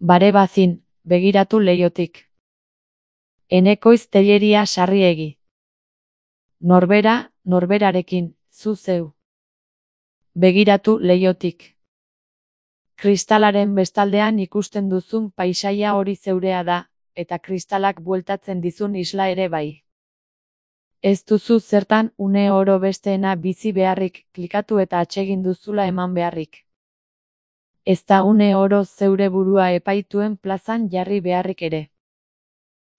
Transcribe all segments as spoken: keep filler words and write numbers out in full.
Bare bazin, begiratu leihotik. Enekoiz telleria sarriegi. Norbera, norberarekin, zu zeu. Begiratu leihotik. Kristalaren bestaldean ikusten duzun paisaia hori zeurea da, eta kristalak bueltatzen dizun isla ere bai. Ez duzu zertan une oro besteena bizi beharrik, klikatu eta atsegin duzula eman beharrik. Ez da une oro zeure burua epaituen plazan jarri beharrik ere.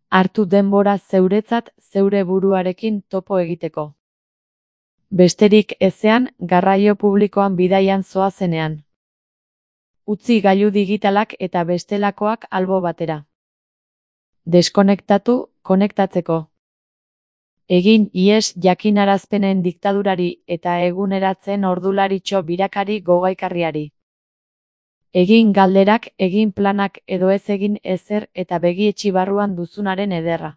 Hartu denbora zeuretzat zeure buruarekin topo egiteko. Besterik ezean, garraio publikoan bidaian zoazenean. Utzi gailu digitalak eta bestelakoak albo batera. Deskonektatu, konektatzeko. Egin ihes jakinarazpenen diktadurari eta eguneratzen ordularitxo birakari gogaikarriari. Egin galderak, egin planak edo ez egin ezer eta begietxi barruan duzunaren ederra.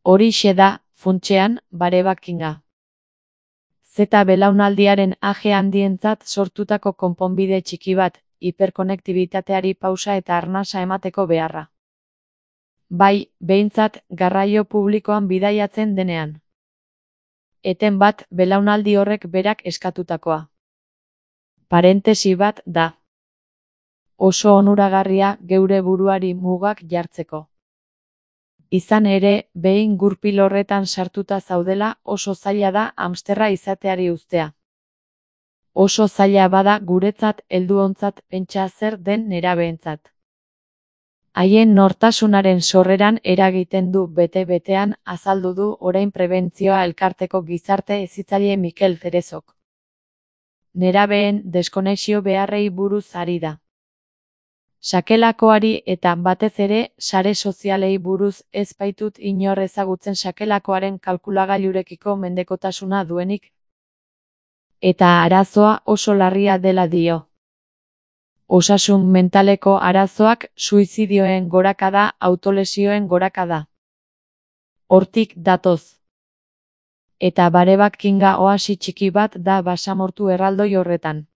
Horixe da, funtsean, barebakinga. Zeta belaunaldiaren age handientzat sortutako konponbide txiki bat, hiperkonektibitateari pausa eta arnasa emateko beharra. Bai, behintzat, garraio publikoan bidaiatzen denean. Eten bat, belaunaldi horrek berak eskatutakoa. Parentesi bat da. Oso onuragarria geure buruari mugak jartzeko. Izan ere, behin gurpil horretan sartuta zaudela, oso zaila da hamsterra izateari uztea. Oso zaila bada guretzat helduontzat pentsa zer den nerabeentzat. Haien nortasunaren sorreran eragiten du bete-betean azaldu du orain prebentzioa elkarteko gizarte hezitzaile Mikel Cerezok. Nerabeen deskonexio beharrei buruz ari da. Sakelakoari eta batez ere sare sozialei buruz ez baitut inor ezagutzen sakelakoaren kalkulagailurekiko mendekotasuna duenik. Eta arazoa oso larria dela dio. Osasun mentaleko arazoak, suizidioen gorakada, autolesioen gorakada. Hortik datoz. Eta barebakinga oasi txiki bat da basamortu erraldoi horretan.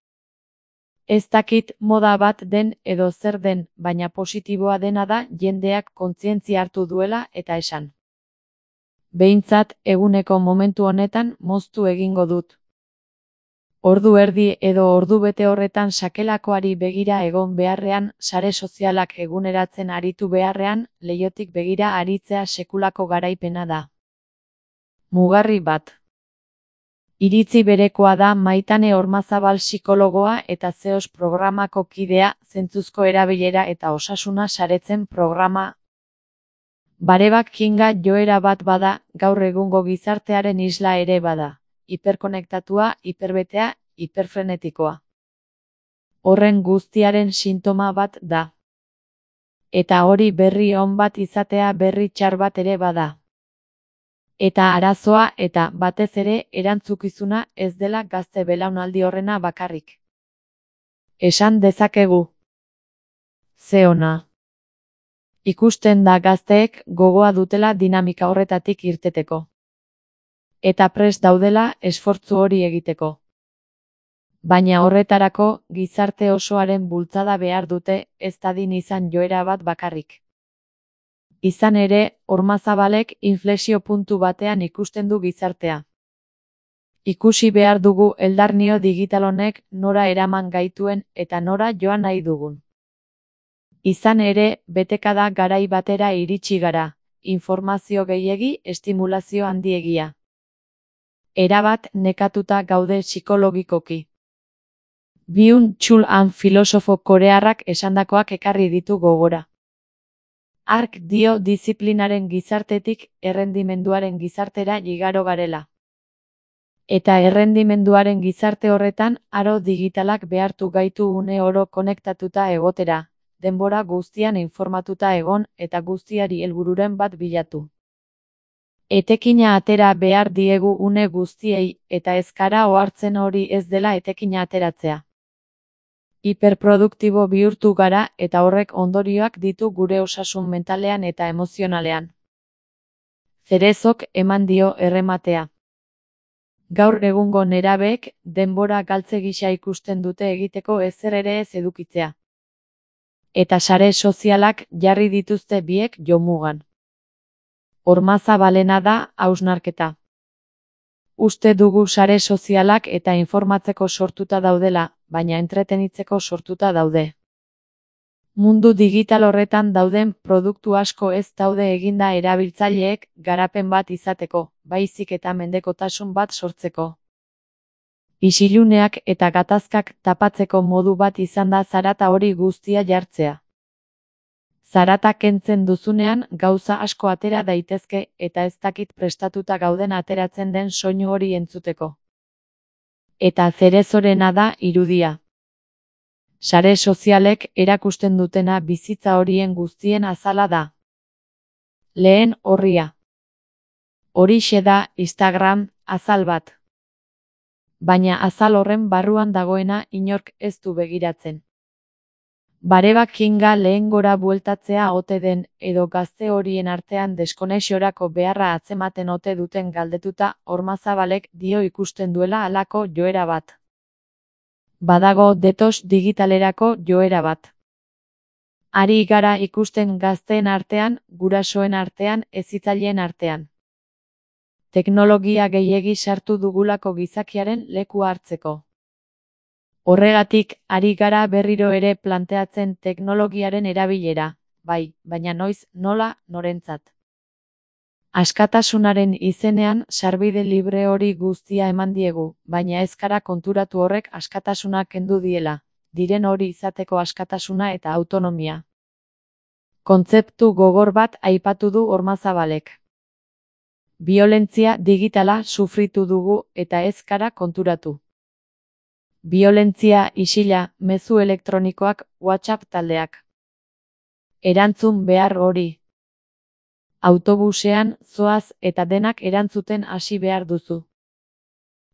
Ez dakit moda bat den edo zer den, baina positiboa dena da jendeak kontzientzia hartu duela eta esan. Behintzat, eguneko momentu honetan moztu egingo dut. Ordu erdi edo ordu bete horretan sakelakoari begira egon beharrean, sare sozialak eguneratzen aritu beharrean, leihotik begira aritzea sekulako garaipena da. Mugarri bat. Iritzi berekoa da Maitane Ormazabal psikologoa eta Zeos programako kidea, zentzuzko erabilera eta osasuna saretzen programa. Barebakinga joera bat bada, gaur egungo gizartearen isla ere bada. Hiperkonektatua, hiperbetea, hiperfrenetikoa. Horren guztiaren sintoma bat da. Eta hori berri on bat izatea berri txar bat ere bada. Eta arazoa eta batez ere erantzukizuna ez dela gazte belaunaldi horrena bakarrik. Esan dezakegu. Ze ona. Ikusten da gazteek gogoa dutela dinamika horretatik irteteko. Eta prest daudela esfortzu hori egiteko. Baina horretarako, gizarte osoaren bultzada behar dute, ez dadin izan joera bat bakarrik. Izan ere, Ormazabalek inflexio puntu batean ikusten du gizartea. Ikusi behar dugu eldarnio digital honek nora eraman gaituen eta nora joan nahi dugun. Izan ere, betekada garai batera iritsi gara, informazio gehiegi, estimulazio handiegia. Erabat nekatuta gaude psikologikoki. Byung-Chul Han filosofo korearrak esandakoak ekarri ditu gogora. Hark dio diziplinaren gizartetik errendimenduaren gizartera igaro garela. Eta errendimenduaren gizarte horretan aro digitalak behartu gaitu une oro konektatuta egotera, denbora guztian informatuta egon eta guztiari helbururen bat bilatu. Etekina atera behar diegu une guztiei, eta ez gara ohartzen hori ez dela etekina ateratzea. Hiperproduktibo bihurtu gara eta horrek ondorioak ditu gure osasun mentalean eta emozionalean. Cerezok eman dio errematea. Gaur egungo nerabeek denbora galtze gisa ikusten dute egiteko ezer ere ez edukitzea. Eta sare sozialak jarri dituzte biek jomugan. Hormazabalena da hausnarketa. Uste dugu sare sozialak eta informatzeko sortuta daudela, baina entretenitzeko sortuta daude. Mundu digital horretan dauden produktu asko ez daude eginda erabiltzaileek garapen bat izateko, baizik eta mendekotasun bat sortzeko. Isiluneak eta gatazkak tapatzeko modu bat izan da zarata hori guztia jartzea. Zarata kentzen duzunean gauza asko atera daitezke eta ez dakit prestatuta gauden ateratzen den soinu hori entzuteko. Eta zerezorena da irudia. Sare sozialek erakusten dutena bizitza horien guztien azala da. Lehen orria. Horixe da Instagram, azal bat. Baina azal horren barruan dagoena inork ez du begiratzen. Barebak kinga lehen gora bueltatzea ote den, edo gazte horien artean deskonexiorako beharra atzematen ote duten galdetuta, Hormazabalek dio ikusten duela halako joera bat. Badago detox digitalerako joera bat. Ari gara ikusten gazteen artean, gurasoen artean, hezitzaileen artean. Teknologia gehiegi sartu dugulako gizakiaren lekua hartzeko. Horregatik, ari gara berriro ere planteatzen teknologiaren erabilera, bai, baina noiz, nola, norentzat. Askatasunaren izenean sarbide libre hori guztia eman diegu, baina ez gara konturatu horrek askatasuna kendu diela, diren hori izateko askatasuna eta autonomia. Kontzeptu gogor bat aipatu du Hormazabalek. Biolentzia digitala sufritu dugu eta ez gara konturatu. Biolentzia isila, mezu elektronikoak, WhatsApp taldeak. Erantzun behar hori. Autobusean, zoaz eta denak erantzuten hasi behar duzu.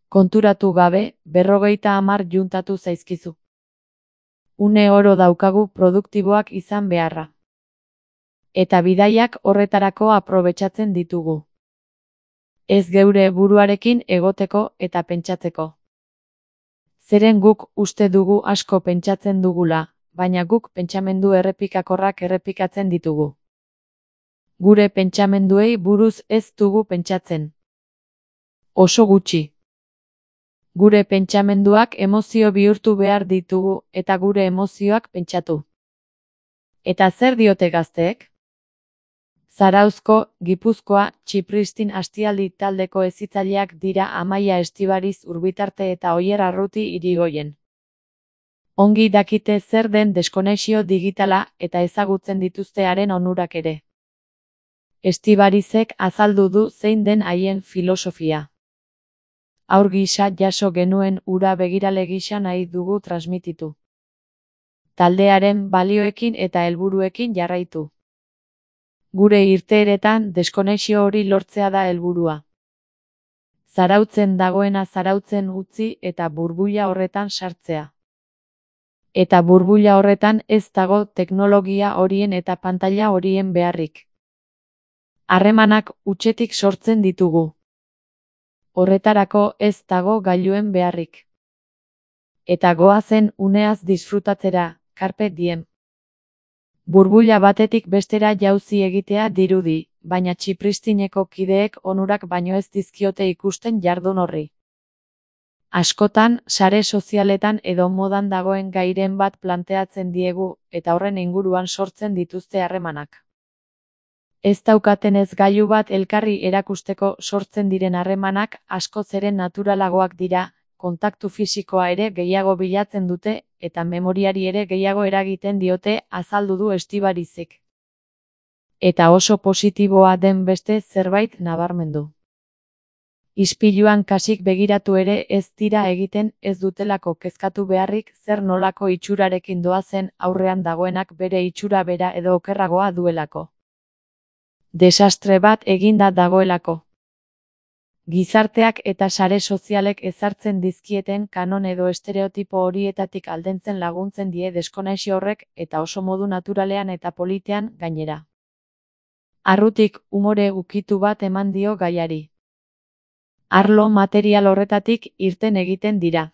Konturatu gabe, berrogeita hamar juntatu zaizkizu. Une oro daukagu produktiboak izan beharra. Eta bidaiak horretarako aprobetxatzen ditugu. Ez geure buruarekin egoteko eta pentsatzeko. Zeren guk uste dugu asko pentsatzen dugula, baina guk pentsamendu errepikakorrak errepikatzen ditugu. Gure pentsamenduei buruz ez dugu pentsatzen. Oso gutxi. Gure pentsamenduak emozio bihurtu behar ditugu eta gure emozioak pentsatu. Eta zer diote gazteek? Zarauzko, Gipuzkoa, Txipristin Astialdi taldeko hezitzaileak dira Amaia Estibariz Urbitarte eta Oier Arruti Irigoyen. Ongi dakite zer den deskonexio digitala eta ezagutzen dituzte haren onurak ere. Estibarizek azaldu du zein den haien filosofia. Haur gisa jaso genuen ura begirale gisa nahi dugu transmititu. Taldearen balioekin eta helburuekin jarraitu. Gure irteeretan deskonexio hori lortzea da helburua. Zarautzen dagoena zarautzen utzi eta burbuila horretan sartzea. Eta burbuila horretan ez dago teknologia horien eta pantaila horien beharrik. Harremanak hutsetik sortzen ditugu. Horretarako ez dago gailuen beharrik. Eta goazen uneaz disfrutatzera, carpe diem. Burbuila batetik bestera jauzi egitea dirudi, baina Txipristineko kideek onurak baino ez dizkiote ikusten jardun horri. Askotan, sare sozialetan edo modan dagoen gairen bat planteatzen diegu, eta horren inguruan sortzen dituzte harremanak. Ez daukaten ez gailu bat elkarri erakusteko sortzen diren harremanak askoz ere naturalagoak dira, kontaktu fisikoa ere gehiago bilatzen dute, eta memoriari ere gehiago eragiten diote, azaldu du Estibarizek. Eta oso positiboa den beste zerbait nabarmendu. Ispiluan kasik begiratu ere ez dira egiten ez dutelako kezkatu beharrik zer nolako itxurarekin doazen aurrean dagoenak bere itxura bera edo okerragoa duelako. Desastre bat eginda dagoelako. Gizarteak eta sare sozialek ezartzen dizkieten kanon edo estereotipo horietatik aldentzen laguntzen die deskonexio horrek eta oso modu naturalean eta politean gainera. Arrutik umore ukitu bat eman dio gaiari. Arlo material horretatik irten egiten dira.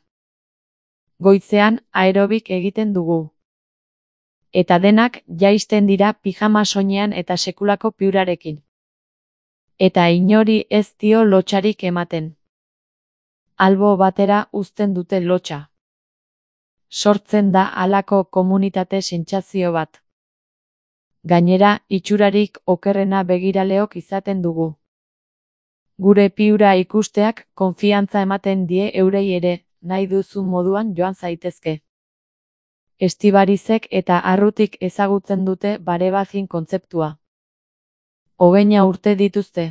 Goizean aerobik egiten dugu. Eta denak jaisten dira pijama soinean eta sekulako piurarekin. Eta inori ez dio lotsarik ematen. Albo batera uzten dute lotsa. Sortzen da halako komunitate sentsazio bat. Gainera, itxurarik okerrena begiraleok izaten dugu. Gure piura ikusteak konfiantza ematen die eurei ere, nahi duzun moduan joan zaitezke. Estibarizek eta Arrutik ezagutzen dute barebajin kontzeptua. Hogeina urte dituzte.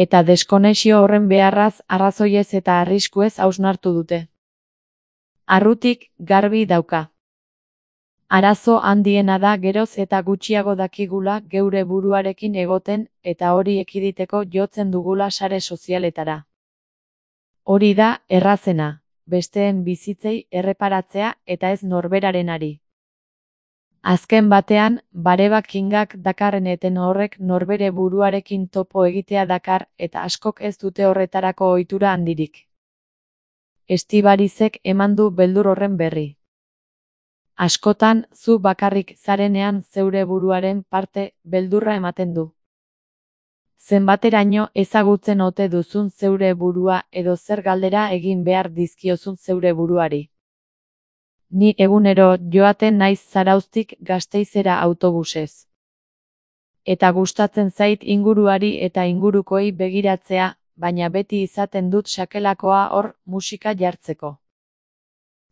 Eta deskonexio horren beharraz arrazoiez eta arriskuez hausnartu dute. Arrutik garbi dauka. Arazo handiena da geroz eta gutxiago dakigula geure buruarekin egoten eta hori ekiditeko jotzen dugula sare sozialetara. Hori da errazena, besteen bizitzei erreparatzea eta ez norberarenari. Azken batean, barebakingak dakarren eten horrek norbere buruarekin topo egitea dakar eta askok ez dute horretarako ohitura handirik. Estibarizek eman du beldur horren berri. Askotan, zu bakarrik zarenean zeure buruaren parte beldurra ematen du. Zenbateraino ezagutzen ote duzun zeure burua edo zer galdera egin behar dizkiozun zeure buruari. Ni egunero joaten naiz Zarauztik Gasteizera autobusez. Eta gustatzen zait inguruari eta ingurukoei begiratzea, baina beti izaten dut sakelakoa hor musika jartzeko.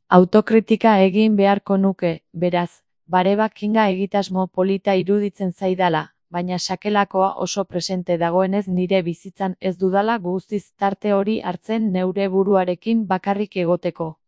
Autokritika egin beharko nuke, beraz, barebakinga egitasmo polita iruditzen zaidala, baina sakelakoa oso presente dagoenez nire bizitzan ez dudala guztiz tarte hori hartzen neure buruarekin bakarrik egoteko.